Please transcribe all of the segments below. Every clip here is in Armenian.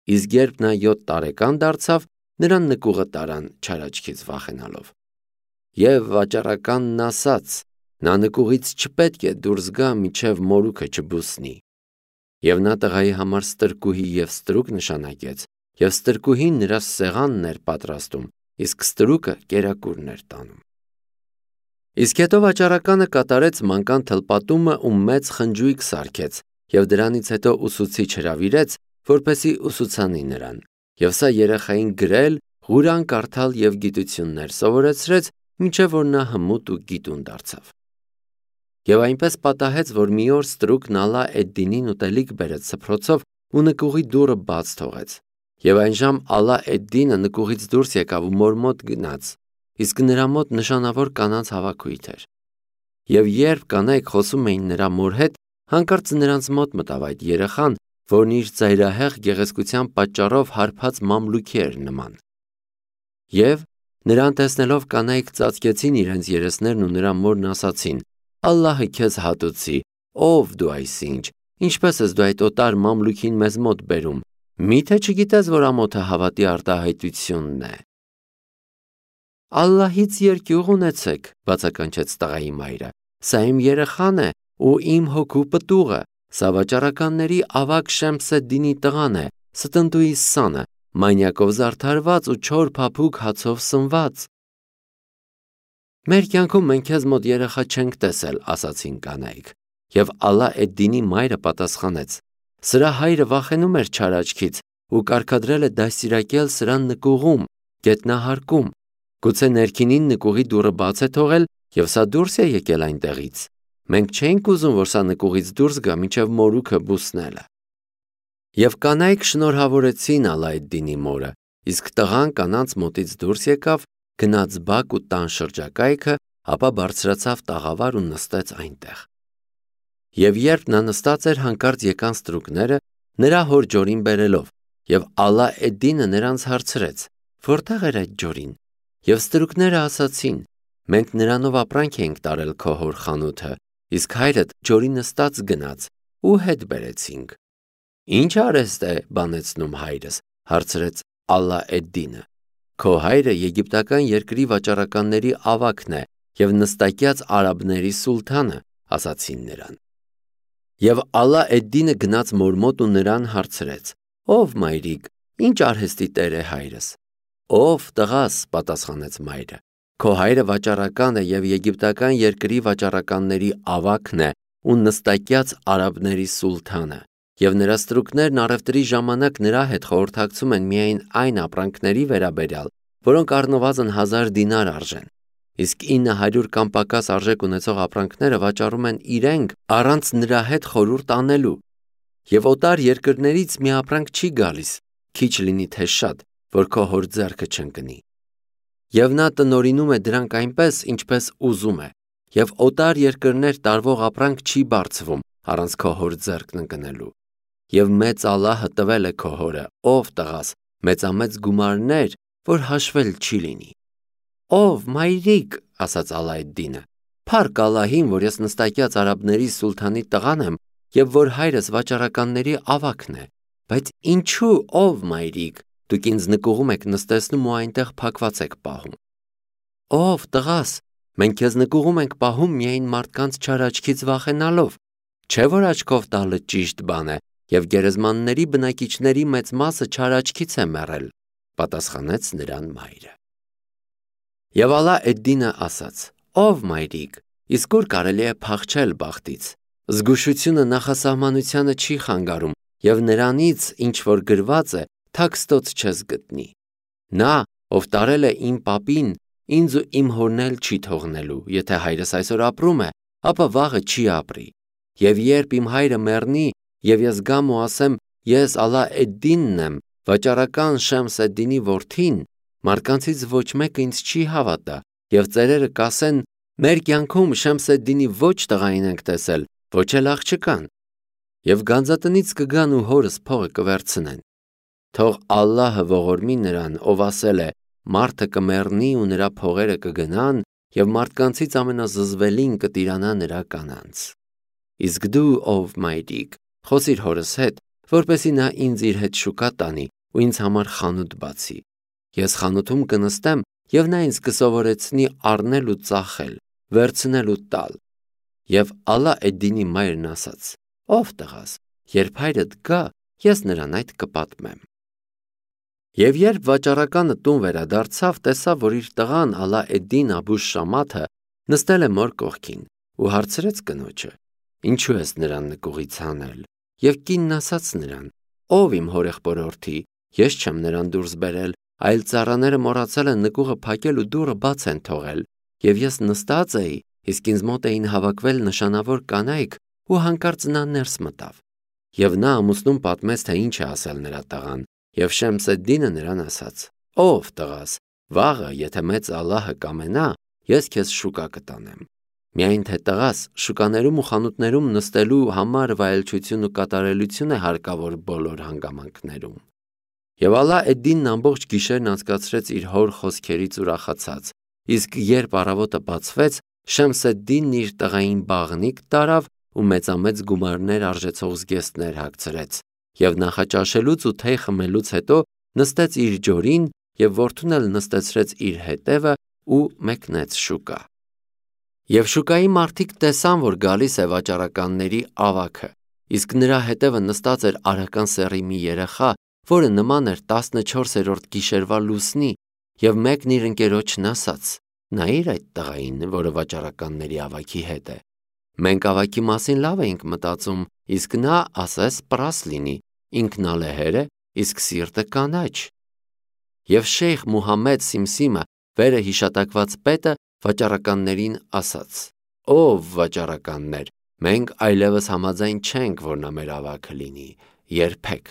Իսկ երբ նա 7 տարեկան դարձավ, նրան նկուղը տարան չար աչքից վախենալով։ Եվ վաճառականն ասաց. նա նկուղից չպետք է դուրս գա, մինչև մորուքը չբուսնի։ Եվ նա տղայի համար ստրկուհի և ստրուկ նշանակեց, և ստրկուհին նրա սեղանն էր պատրաստում, իսկ ստրուկը կերակուրն էր տանում։ Իսկ հետո վաճառականը կատարեց մանկան թլպատումը ու մեծ խնջույք սարքեց, և դրանից հետո ուսուցիչ հրավիրեց, որպեսզի ուսուցանի նրան, և սա երեխային գրել, Ղուրան կարդալ և գիտություններ սովորեցրեց, մինչև որ նա հմուտ ու գիտուն դարձավ։ Եվ այնպես պատահեց, որ մի օր ստրուկն Ալա էդ-Դինին ուտելիք բերեց սփռոցով ու նկուղի դուռը բաց թողեց։ Եվ այն ժամ Ալա էդ-Դինը նկուղից դուրս եկավ ու մոր մոտ գնաց, իսկ նրա մոտ նշանավոր կանանց հավաքույթ էր։ Եվ երբ կանայք խոսում էին նրա մոր հետ, հանկարծ նրանց մոտ մտավ այդ երեխան, որն իր ծայրահեղ գեղեցկության պատճառով հարբած մամլուքի էր նման։ Եվ նրան տեսնելով կանայք ծածկեցին իրենց երեսներն ու նրա մորն ասացին. «Ալլահը քեզ հատուցի, ով դու այսինչ, ինչպես ես դու այդ օտար մամլուքին մեզ մոտ բերում, միթե չգիտես, որ ամոթը հավատի արտահայտությունն է»։ «Ալլահից երկյուղ ունեցեք», բացականչեց տղայի մայրը, «սա իմ երեխան է ու իմ հոգու պտուղը, սա վաճառականների ավագ Շեմս էդ-Դինի տղան է, ստնդուիս սանը, մանյակով զարդարված ու չոր փափուկ հացով սնված»։ «Մեր կյանքում մենք քեզ մոտ երեխա չենք տեսել», ասացին կանայք։ Եվ Ալա էդ-Դինի մայրը պատասխանեց. «Սրա հայրը վախենում էր չար աչքից ու կարգադրել է դաստիարակել սրան նկուղում, գետնահարկում։ Գուցե ներքինին նկուղի դուռը բաց է թողել և սա դուրս է եկել այնտեղից։ Մենք չէինք ուզում, որ սա նկուղից դուրս գա, մինչև մորուքը բուսնելը»։ Եվ կանայք շնորհավորեցին Ալա էդ-Դինի մորը, իսկ տղան կանանց մոտից դուրս եկավ, գնաց բակ ու տան շրջակայքը, ապա բարձրացավ տաղավար ու նստեց այնտեղ։ Եվ երբ նա նստած էր, հանկարծ եկան ստրուկները, նրա հոր ջորին բերելով, և Ալա էդ-Դինը նրանց հարցրեց. «Որտեղ էր այդ ջորին»։ Եվ ստրուկները ասացին. «Մենք նրանով ապրանք էինք տարել քո հոր խանութը, իսկ հայրդ ջորի նստած գնաց ու հետ բերեցինք»։ «Ինչ արեստ է բանեցնում հայրս», հարցրեց Ալա էդ-Դինը։ «Քո հայրը եգիպտական երկրի վաճառականների ավագն է և նստակյաց արաբների սուլթանը», ասացին նրան։ Եվ Ալա էդ-Դինը գնաց մոր մոտ ու նրան հարցրեց. «Ով մայրիկ, ինչ արհեստի տեր է հայրս»։ «Ով տղաս», պատասխանեց մայրը, «քո հայրը վաճառական է և եգիպտական երկրի վաճառականների ավագն է ու նստակյաց արաբների սուլթանը, և նրա ստրուկներն առևտրի ժամանակ նրա հետ խորհրդակցում են միայն այն ապրանքների վերաբերյալ, որոնք առնվազն 1000 դինար արժեն, իսկ 900 կամ պակաս արժեք ունեցող ապրանքները վաճառում են իրենք առանց նրա հետ խորհուրդ անելու։ Եվ օտար երկրներից մի ապրանք չի գալիս, քիչ լինի թե շատ, որ քո հոր ձեռքը չընկնի։ Եվ նա տնօրինում է դրանք այնպես, ինչպես ուզում է, և օտար երկրներ տարվող ապրանք չի բարձվում առանց քո հոր ձեռքն ընկնելու։ Եվ մեծ Ալլահը տվել է քո հորը, ով տղաս, մեծամեծ գումարներ, որ հաշվել չի լինի»։ «Ով մայրիկ», ասաց Ալա էդ-Դինը, «Փառք Ալլահին, որ ես նստակյաց արաբների սուլթանի տղան եմ և որ հայրս վաճառականների ավագն է, բայց ինչու, ով մայրիկ, դուք ինձ նկուղում եք նստեցնում ու այնտեղ փակված եք պահում»։ «Ով տղաս, մենք քեզ նկուղում ենք պահում միայն մարդկանց չար աչքից վախենալով, չէ՞ որ աչքով տալը ճիշտ բան է, և գերեզմանների բնակիչների մեծ մասը չար աչքից է մեռել», պատասխանեց նրան մայրը։ Եվ Ալա էդ-Դինը ասաց. «Ով մայրիկ, իսկ ուր կարելի է փախչել բախտից։ Զգուշությունը նախասահմանությանը չի խանգարում, և նրանից, ինչ որ գրված է, թաքստոց չես գտնի։ Նա, ով տարել է իմ պապին, ինձ ու իմ հորն էլ չի թողնելու, եթե հայրս այսօր ապրում է, ապա վաղը չի ապրի։ Եվ երբ իմ հայրը մեռնի, և ես գամ ու ասեմ, ես Ալա էդ-Դինն եմ, վաճառական Շեմս էդ-Դինի որդին, մարդկանցից ոչ մեկը ինձ չի հավատա, և ծերերը կասեն. մեր կյանքում Շեմս էդ-Դինի ոչ տղային ենք տեսել, ոչ էլ աղջկան։ Եվ գանձատնից կգան ու հորս փողը կվերցնեն։ Թող Ալլահը ողորմի նրան, ով ասել է. մարդը կմեռնի ու նրա փողերը կգնան, և մարդկանցից ամենազզվելին կտիրանա նրա կանանց։ Իսկ դու, ով մայրիկ, խոսիր հորս հետ, որպեսզի նա ինձ իր հետ շուկա տանի ու ինձ համար խանութ բացի։ Ես խանութում կնստեմ և նա ինձ կսովորեցնի առնել ու ծախել, վերցնել ու տալ։ Եվ Ալլա էդ-Դինի մայրն ասաց. «Ով տղաս, երբ հայրդ գա, ես նրան այդ կպատմեմ»։ Եվ երբ վաճառականը տուն վերադարձավ, տեսավ, որ իր տղան Ալլա էդ-Դին Աբու Շամաթը նստել է մոր կողքին ու հարցրեց կնոջը. «Ինչու ես նրան նկուղից հանել»։ Եվ կինն ասաց նրան. «Ով իմ հորեղբորորդի, ես չեմ նրան դուրս բերել, այլ ծառաները մոռացել են նկուղը փակել ու դուռը բաց են թողել, և ես նստած էի, իսկ ինձ մոտ էին հավաքվել նշանավոր կանայք ու հանկարծ նա ներս մտավ»։ Եվ նա ամուսնուն պատմեց, թե ինչ է ասել նրա տղան, և Շեմս էդ-Դինը նրան ասաց. «Ով տղաս, վաղը, եթե մեծ Ալլահը կամենա, ես քեզ շուկա կտանեմ։ Միայն թե տղաս, շուկաներում ու խանութներում նստելու համար վայելչություն ու կատարելություն է հարկավոր բոլոր հանգամանքներում»։ Եվ Ալլա էդ-Դինն ամբողջ գիշերն անցկացրեց իր հոր խոսքերից ուրախացած, իսկ երբ առավոտը բացվեց, Շեմս էդ-Դինն իր տղային բաղնիք տարավ ու մեծամեծ գումարներ արժեցող զգեստներ հագցրեց, և նախաճաշելուց ու թեյ խմելուց հետո նստեց իր ջորին և որդուն էլ նստեցրեց իր հետևը ու մեկնեց շուկա։ Եվ շուկայի մարդիկ տեսան, որ գալիս է վաճառականների ավագը, իսկ նրա հետևը նստած էր արական սեռի մի երեխա, որը նման էր 14-րդ գիշերվա լուսնի, և մեկն իր ընկերոջն ասաց. «Նայիր այդ տղային, որը վաճառականների ավագի հետ է։ Մենք ավագի մասին լավ էինք մտածում, իսկ նա ասես պռաս լինի, ինքնալեհեր է, իսկ սիրտը կանաչ»։ Եվ Շեյխ Մուհամմեդ Սիմսիմը, վերը հիշատակված պետը, վաճառականներին ասաց. «Ով վաճառականներ, մենք այլևս համաձայն չենք, որ նա մեր ավագը լինի, երբեք»։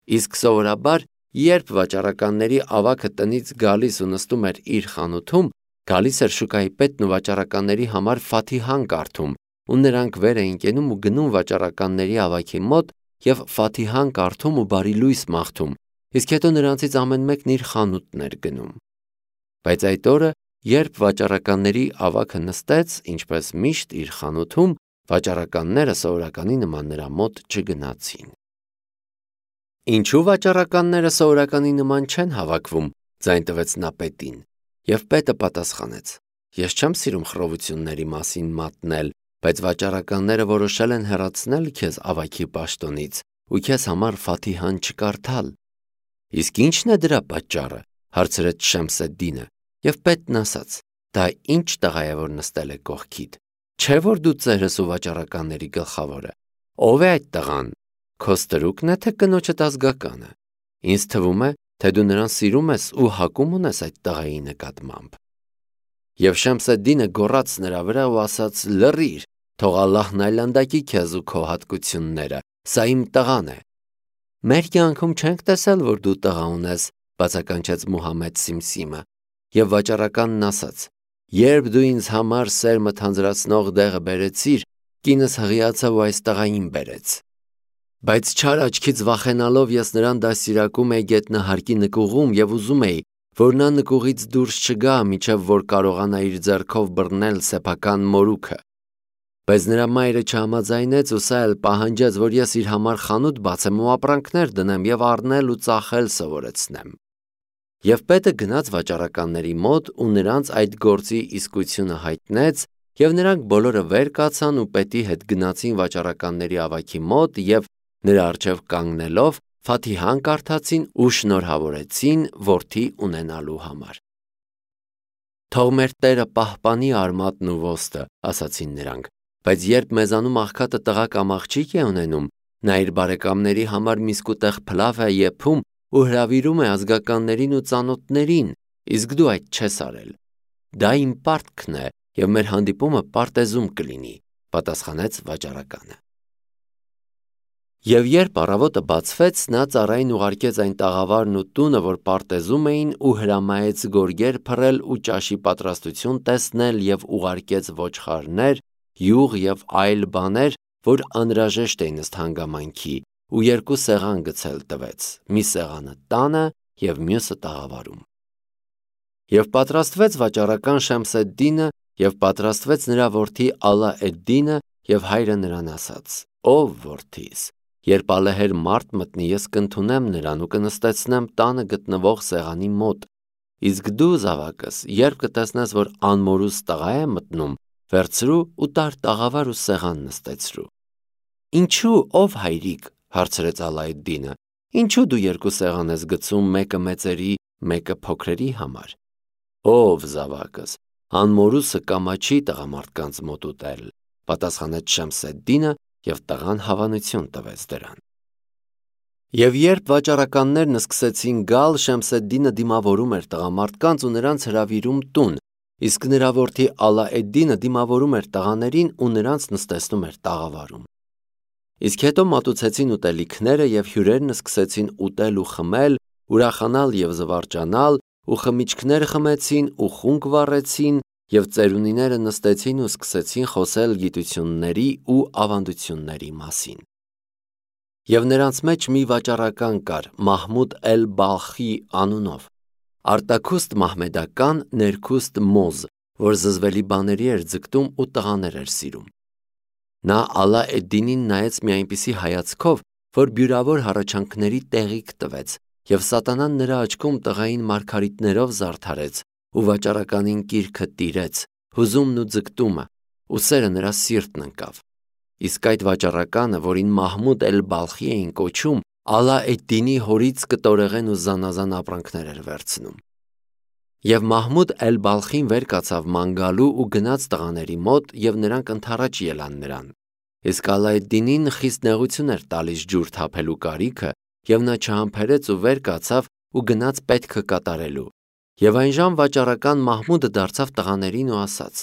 Իսկ սովորաբար, երբ վաճառականների ավագը տնից գալիս ու նստում էր իր խանութում, գալիս էր շուկայի պետն ու վաճառականների համար Ֆաթիհան կարդում, ու նրանք վեր էին կենում ու գնում վաճառականների ավագի մոտ և Ֆաթիհան կարդում ու բարի լույս մաղթում, իսկ հետո նրանցից ամեն մեկն իր խանութն էր գնում։ Բայց այդ օրը, երբ վաճառականների ավագը նստեց, ինչպես միշտ, իր խանութում, վաճառականները սովորականի նման նրա մոտ չգնացին։ «Ինչու վաճառականները սովորականի նման չեն հավաքվում»։ Ձայն տվեց նա պետին, և պետը պատասխանեց. «Ես չեմ սիրում խռովությունների մասին մատնել, բայց վաճառականները որոշել են հեռացնել քեզ ավագի պաշտոնից ու քեզ համար Ֆաթիհան չկարդալ»։ «Իսկ ի՞նչն է դրա պատճառը»։ Հարցրեց Շեմս էդ-Դինը, և պետն ասաց. «Դա ի՞նչ տղա է, որ նստել է կողքիդ։ Չէ՞ որ դու ծերս ու վաճառականների գլխավորը։ Ով է այդ տղան։ Քո ստրուկն է, թե կնոջդ ազգականը։ Ինձ թվում է, թե դու նրան սիրում ես ու հակում ունես այդ տղայի նկատմամբ»։ Եվ Շեմս էդ-Դինը գոռաց նրա վրա ու ասաց. «Լռիր, թող Ալլահն այլանդակի քեզ ու քո հատկությունները, սա իմ տղան է»։ «Մեր կյանքում չենք տեսել, որ դու տղա ունես», բացականչեց Մուհամմեդ Սիմսիմը, և վաճառականն ասաց. «Երբ դու ինձ համար սերմը թանձրացնող դեղը բերեցիր, կինս հղիացավ ու այս տղային բերեց։ Բայց չար աչքից վախենալով ես նրան դաստիարակում էի գետնահարկի նկուղում և ուզում էի, որ նա նկուղից դուրս չգա, մինչև որ կարողանա իր ձեռքով բռնել սեփական մորուքը։ Բայց նրա մայրը չհամաձայնեց ու սա էլ պահանջեց, որ ես իր համար խանութ բացեմ ու ապրանքներ դնեմ և առնել ու ծախել սովորեցնեմ»։ Եվ պետը գնաց վաճառականների մոտ ու նրանց այդ գործի իսկությունը հայտնեց, և նրանք բոլորը վեր կացան ու պետի հետ գնացին վաճառականների ավագի մոտ և, նրա առջև կանգնելով, Ֆաթիհան կարդացին ու շնորհավորեցին որդի ունենալու համար։ «Թող մեր Տերը պահպանի արմատն ու ոստը», ասացին նրանք, «բայց երբ մեզանում աղքատը տղա կամ աղջիկ է ունենում, նա իր բարեկամների համար միսկուտեղ փլավ է եփում ու հրավիրում է ազգականներին ու ծանոթներին, իսկ դու այդ չես արել։ Դա իմ պարտքն է, և մեր հանդիպումը պարտեզում կլինի», պատասխանեց վաճառականը։ Եվ երբ առավոտը բացվեց, նա ծառային ուղարկեց այն տաղավարն ու տունը, որ պարտեզում էին, ու հրամայեց գորգեր փռել ու ճաշի պատրաստություն տեսնել և ուղարկեց ոչխարներ, յուղ և այլ բաներ, որ անհրաժեշտ էին ըստ հանգամանքի, ու 2 սեղան գցել տվեց, մի սեղանը տանը և մյուսը տաղավարում։ Եվ պատրաստվեց վաճառական Շեմս էդ-Դինը, և պատրաստվեց նրա որդի Ալլա էդ-Դինը, և հայրը նրան ասաց. «Ով որդիս, Երբ ալեհեր մարդ մտնի, ես կընդունեմ նրան ու կնստեցնեմ տանը գտնվող սեղանի մոտ։ Իսկ դու, զավակս, երբ կտեսնես, որ անմորուս տղա է մտնում, վերցրու ու տար տաղավար ու սեղան նստեցրու։ Ինչու, ով հայրիկ, հարցրեց Ալայեդդինը, ինչու դու երկու սեղան ես գցում, մեկը մեծերի, մեկը փոքրերի համար։ Ով զավակս, անմորուսը կամաչի տղամարդկանց մոտ ուտել, պատասխանեց Շեմսեդդինը և տղան հավանություն տվեց դրան։ Եվ երբ վաճառականներն սկսեցին գալ, Շեմսեդդինը դիմավորում էր տղամարդկանց ու նրանց հրավիրում տուն, իսկ նրա որդի Ալաեդդինը դիմավորում էր տղաներին ու նրանց նստեցնում էր տաղավարում։ Իսկ հետո մատուցեցին ուտելիքները և հյուրերն սկսեցին ուտել ու խմել, ուրախանալ և զվարճանալ, ու խմիչքներ խմեցին ու խունկ վառեցին, և ծերունիները նստեցին ու սկսեցին խոսել գիտությունների ու ավանդությունների մասին։ Եվ նրանց մեջ մի վաճառական կար, Մահմուդ էլ-Բալխի անունով, արտաքուստ մահմեդական, ներքուստ մոզ, որ զզվելի բաների էր ձգտում ու տղաներ էր սիրում։ Նա Ալաեդդինին նայեց մի այնպիսի հայացքով, որ բյուրավոր հառաչանքների տեղիք տվեց, և սատանան նրա աչքում տղային մարգարիտներով զարդարեց ու վաճառականին կիրքը տիրեց, հուզումն ու ձգտումը, ու սերը նրա սիրտն ընկավ։ Իսկ այդ վաճառականը, որին Մահմուդ էլ-Բալխի էին կոչում, Ալաեդդինի հորից կտորեղեն ու զանազան ապրանքներ էր վերցնում։ Եվ Մահմուդ էլ-Բալխին վեր կացավ ման գալու ու գնաց տղաների մոտ, և նրանք ընդառաջ ելան նրան։ Իսկ Ալաեդդինին խիստ նեղություն էր տալիս ջուր թափելու կարիքը, և նա չհամբերեց ու վեր կացավ ու գնաց պետքը կատարելու։ Եվ այնժամ վաճառական Մահմուդը դարձավ տղաներին ու ասաց.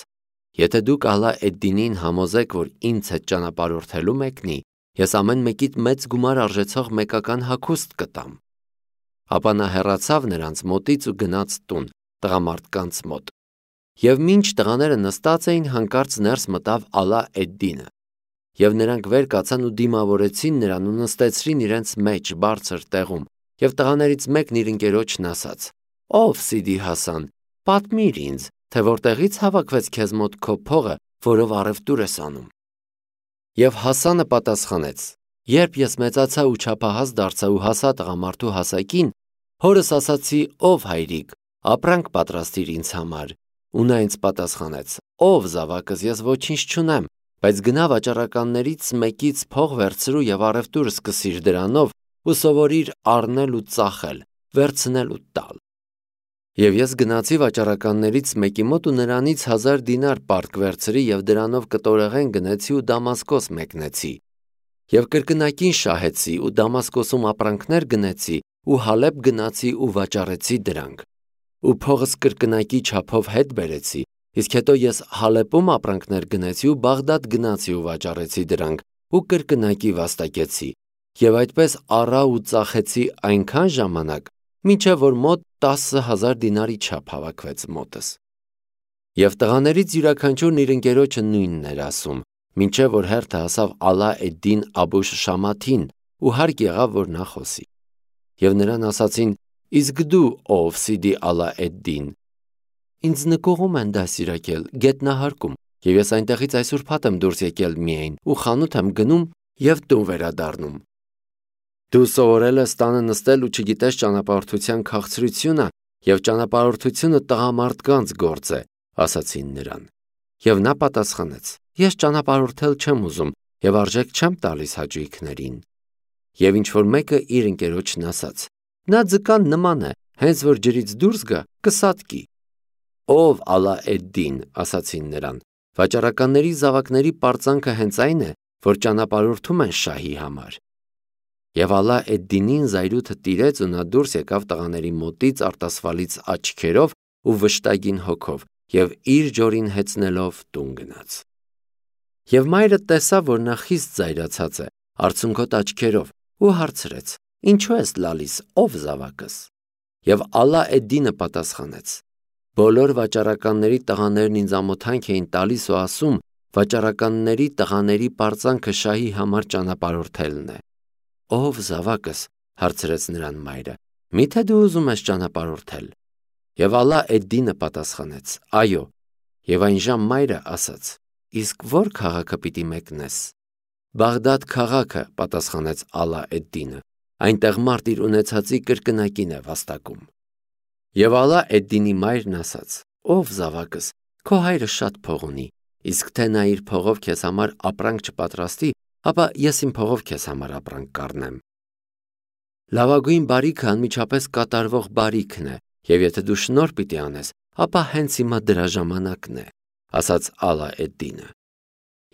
«Եթե դուք Ալաեդդինին համոզեք, որ ինձ հետ ճանապարհորդելու մեկնի, ես ամեն մեկիդ մեծ գումար արժեցող մեկական հագուստ կտամ»։ Ապա նա հեռացավ նրանց մոտից ու գնաց տուն, տղամարդկանց մոտ։ Եվ մինչ տղաները նստած էին, հանկարծ ներս մտավ Ալաեդդինը։ Եվ նրանք վեր կացան ու դիմավորեցին նրան ու նստեցրին իրենց մեջ բարձր տեղում, և տղաներից մեկն իր ընկերոջն ասաց. «Ով Սիդի Հասան, պատմիր ինձ, թե որտեղից հավաքվեց քեզ մոտ քո փողը, որով առևտուր ես անում»։ Եվ Հասանը պատասխանեց. «Երբ ես մեծացա ու չափահաս դարձա ու հասա տղամարդու հասակին, հորս ասացի. ով հայրիկ, ապրանք պատրաստիր ինձ համար, ու նա ինձ պատասխանեց. ով զավակս, ես ոչինչ չունեմ, բայց գնա վաճառականներից մեկից փող վերցրու և առևտուր սկսիր դրանով ու սովորիր առնել ու ծախել, վերցնել ու տալ։ Եվ ես գնացի վաճառականներից մեկի մոտ ու նրանից 1000 դինար պարտք վերցրի և դրանով կտորեղեն գնեցի ու Դամասկոս մեկնեցի։ Եվ կրկնակին շահեցի ու Դամասկոսում ապրանքներ գնեցի ու Հալեբ գնացի ու վաճառեցի դրանք։ Ու փողս կրկնակի չափով հետ բերեցի, իսկ հետո ես Հալեպում ապրանքներ գնեցի ու Բաղդադ գնացի ու վաճառեցի դրանք ու կրկնակի վաստակեցի։ Եվ այդպես առա ու ծախեցի այնքան ժամանակ, մինչև որ մոտ 10,000 դինարի չափ հավաքվեց մոտս։ Եվ տղաներից յուրաքանչյուրն իր ընկերոջը նույնն էր ասում, մինչև որ հերթը հասավ Ալաեդդին Աբուշ Շամաթին ու հարկ եղավ, որ նա խոսի։ Եվ նրան ասացին. «Իսկ դու ով Սիդի Ալաեդդին»։ «Ինձ նկուղում են դաստիարակել գետնահարկում, և ես այնտեղից այս ուրբաթ եմ դուրս եկել միայն ու խանութ եմ գնում և տուն վերադառնում»։ «Դու սովորել ես տանը նստել ու չգիտես ճանապարհորդության քաղցրությունը, և ճանապարհորդությունը տղամարդկանց գործ է», ասացին նրան։ Եվ նա պատասխանեց. «Ես ճանապարհորդել չեմ ուզում և արժեք չեմ տալիս հաճույքներին»։ Եվ ինչ-որ մեկը իր ընկերոջն ասաց. «Նա ձկան նման է, հենց որ ջրից դուրս գա, կսատկի»։ «Ով Ալաեդդին», ասացին նրան, «վաճառականների զավակների պարծանքը հենց այն է, որ ճանապարհորդում են շահի համար»։ Եվ Ալաեդդինին զայրույթը տիրեց ու նա դուրս եկավ տղաների մոտից արտասվալից աչքերով ու վշտագին հոգով և իր ջորին հեծնելով տուն գնաց։ Եվ մայրը տեսավ, որ նա խիստ զայրացած է, արցունքոտ աչքերով, ու հարցրեց. «Ինչու ես լալիս, ով զավակս»։ Եվ Ալաեդդինը պատասխանեց. «Բոլոր վաճառականների տղաներն ինձ ամոթանք էին տալիս ու ասում. վաճառականների տղաների պարծանքը շահի համար ճանապարհորդելն է»։ «Ով զավակս», հարցրեց նրան մայրը, «միթե դու ուզում ես ճանապարհորդել»։ Եվ Ալաեդդինը պատասխանեց. «Այո»։ Եվ այնժամ մայրը ասաց. «Իսկ ո՞ր քաղաքը պիտի մեկնես»։ Բաղդադ քաղաքը, պատասխանեց Ալա էդ-Դինը, այնտեղ մարդ իր ունեցածի կրկնակին է վաստակում։ Եվ Ալա էդ-Դինի մայրն ասաց. Ով զավակս, քո հայրը շատ փող ունի, իսկ թե նա իր փողով քեզ համար ապրանք չպատրաստի, ապա ես իմ փողով քեզ համար ապրանք կառնեմ։ Լավագույն բարիքը անմիջապես կատարվող բարիքն է, եւ եթե դու շնորհ պիտի անես, ապա հենց հիմա դրա ժամանակն է, ասաց Ալա էդ-Դինը։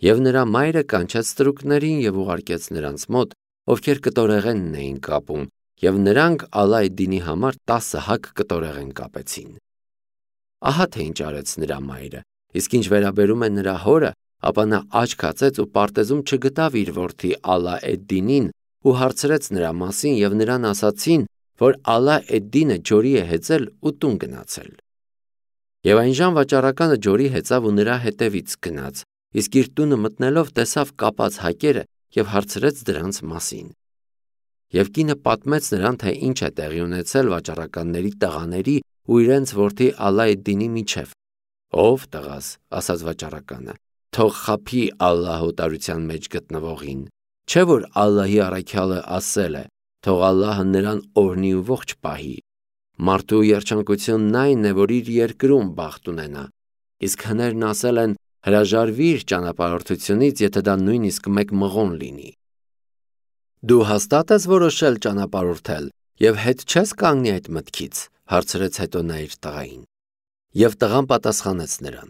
Եվ նրա մայրը կանչեց ստրուկներին եւ ուղարկեց նրանց մոտ, ովքեր կտորեղենն էին կապում, եւ նրանք Ալա էդ-Դինի համար 10 հակ կտորեղեն կապեցին։ Ահա թե ինչ արեց նրա մայրը, իսկ ինչ վերաբերում է նրա հորը, ապա նա աչք հացեց ու պարտեզում չգտավ իր որդի Ալա էդ-Դինին ու հարցրեց նրա մասին եւ նրան ասացին, որ Ալա էդ-Դինը ջորի է հեծել ու տուն գնացել։ Եվ այնժամ վաճառականը ջորի հեծավ ու նրա հետևից գնաց, իսկ իր տունը մտնելով տեսավ կապած հակերը եւ հարցրեց դրանց մասին։ Եվ կինը պատմեց նրան, թե ինչ է տեղի ունեցել վաճառականների տղաների ու իրենց որդի Ալա էդ-Դինի միջև։ Ով տղաս, ասաց վաճառականը, թող խաբի Ալլահ օտարության մեջ գտնվողին, չէ որ Ալլահի առաքյալը ասել է, թող Ալլահը նրան օրհնի ու ողջ պահի։ Մարդու երջանկությունն այն է, որ իր երկրում բախտ ունենա, իսկ հներն ասել են հրաժարվիր ճանապարհորդությունից, եթե դա նույնիսկ մեկ մղոն լինի։ Դու հաստատ ես որոշել ճանապարհորդել եւ հետ չես կանգնի այդ մտքից, հարցրեց հետո նա իր տղային։ Եվ տղան պատասխանեց նրան.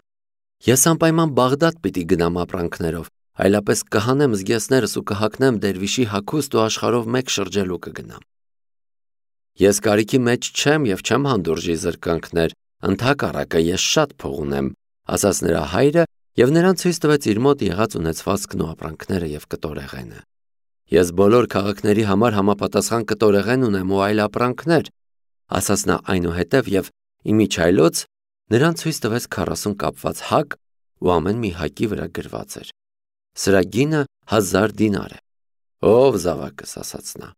Ես անպայման Բաղդադ պիտի գնամ ապրանքներով, այլապես կհանեմ զգեստներս ու կհագնեմ դերվիշի հագուստ ու աշխարհով մեկ շրջելու կգնամ։ Ես կարիքի մեջ չեմ եւ չեմ հանդուրժի զրկանքներ, ընդհակառակը ես շատ փող ունեմ, ասաց նրա հայրը եւ նրան ցույց տվեց իր մոտ եղած ունեցվածքն ու ապրանքները եւ կտորեղենը։ Ես բոլոր քաղաքների համար համապատասխան կտորեղեն ունեմ ու այլ ապրանքներ, ասաց նա այնուհետև եւ իմիջայլոց նրան ցույց տվեց 40 կապված հակ ու ամեն մի հակի վրա գրված էր. Սրա գինը 1000 դինար է։ Ով զավակս, ասաց նա,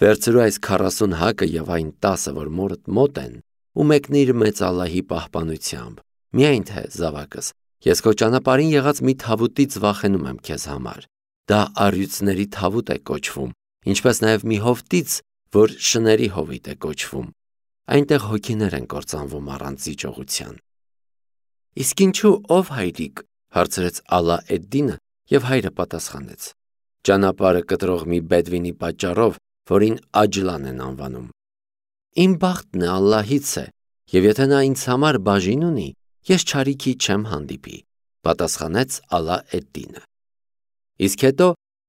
վերցրու այս 40 հակը եւ այն 10-ը, որ մորդ մոտ են, ու մեկնիր մեծ Ալլահի պահպանությամբ։ Միայն թե, զավակս, ես քո ճանապարհին եղած մի թավուտից վախենում եմ քեզ համար։ Դա առյուծների թավուտ է կոչվում, ինչպես նաև մի հովտից, որ շների հովիտ է կոչվում։ Այնտեղ հոգիներ են կործանվում առանց զիջողության։ Իսկ ինչու ով հայրիկ, հարցրեց Ալա էդ-Դինը, եւ հայրը պատասխանեց. ճանապարհը կտրող մի բեդվինի պատճառով, որին Աջլան են անվանում։ Իմ բախտն է Ալլահից է, եւ եթե նա ինձ համար բաժին ունի, ես չարիքի չեմ հանդիպի, պատասխանեց Ալա էդ-Դինը։ Իսկ հետո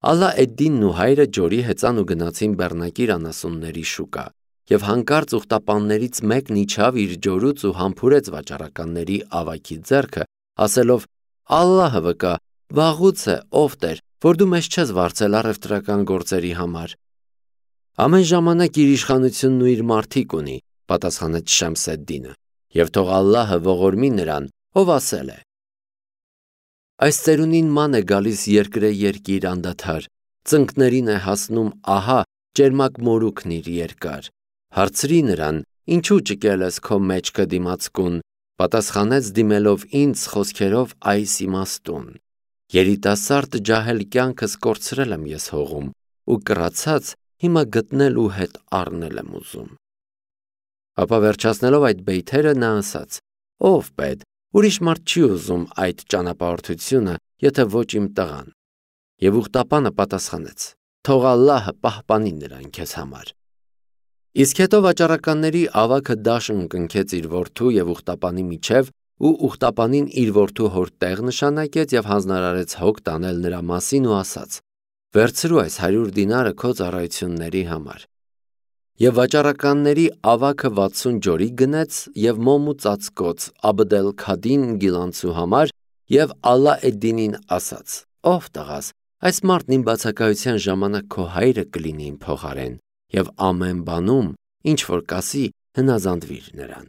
Ալա էդ-Դինն ու հայրը ջորի հեծան ու գնացին բեռնակիր անասունների շուկա, եւ հանկարծ ուխտապաններից մեկն իջավ իր ջորուց ու համբուրեց վաճառականների ավագի ձեռքը, ասելով. Ալլահը վկա, վաղուց է, ով Տեր, որ դու մեզ չես վարձել առևտրական գործերի համար։ Ամեն ժամանակ իր իշխանությունն ու իր մարդիկ ունի, պատասխանեց Շամս էդ-Դինը, եւ թող Ալլահը ողորմի նրան, ով ասել է. Այս ծերունին ման է գալիս երկրե երկիր անդադար, ծնկներին է հասնում ահա ճերմակ մորուքն իր երկար։ Հարցրի նրան, ինչու ճկել ես քո մեջքը դիմացկուն, պատասխանեց դիմելով ինձ խոսքերով այս իմաստուն. երիտասարդ ջահել կյանքս կորցրել եմ ես հողում ու կռացած հիմա գտնել ու հետ առնել եմ ուզում։ Ապա վերջացնելով այդ բեյթերը նա ասաց. ով պետ, ուրիշ մարդ չի ուզում այդ ճանապարհորդությունը, եթե ոչ իմ տղան։ Եվ ուխտապանը պատասխանեց. թող Ալլահը պահպանի նրան քեզ համար։ Իսկ հետո վաճառականների ավագը դաշն կնքեց իր որդու եւ ուխտապանի միջև ու ուխտապանին իր որդու հոր տեղ նշանակեց եւ հանձնարարեց հոգ տանել նրա մասին ու ասաց. վերցրու այս 100 դինարը քո ծառայությունների համար։ Եվ վաճառականների ավագը 60 ջորի գնեց եւ մոմ ու ծածկոց Աբդ Քադին գիլանցու համար եւ Ալա էդ-Դինին ասաց. ով տղաս, այս մարդն իմ բացակայության ժամանակ քո հայրը կլինի իմ փոխարեն եւ ամեն բանում ինչ որ կասի հնազանդվիր նրան։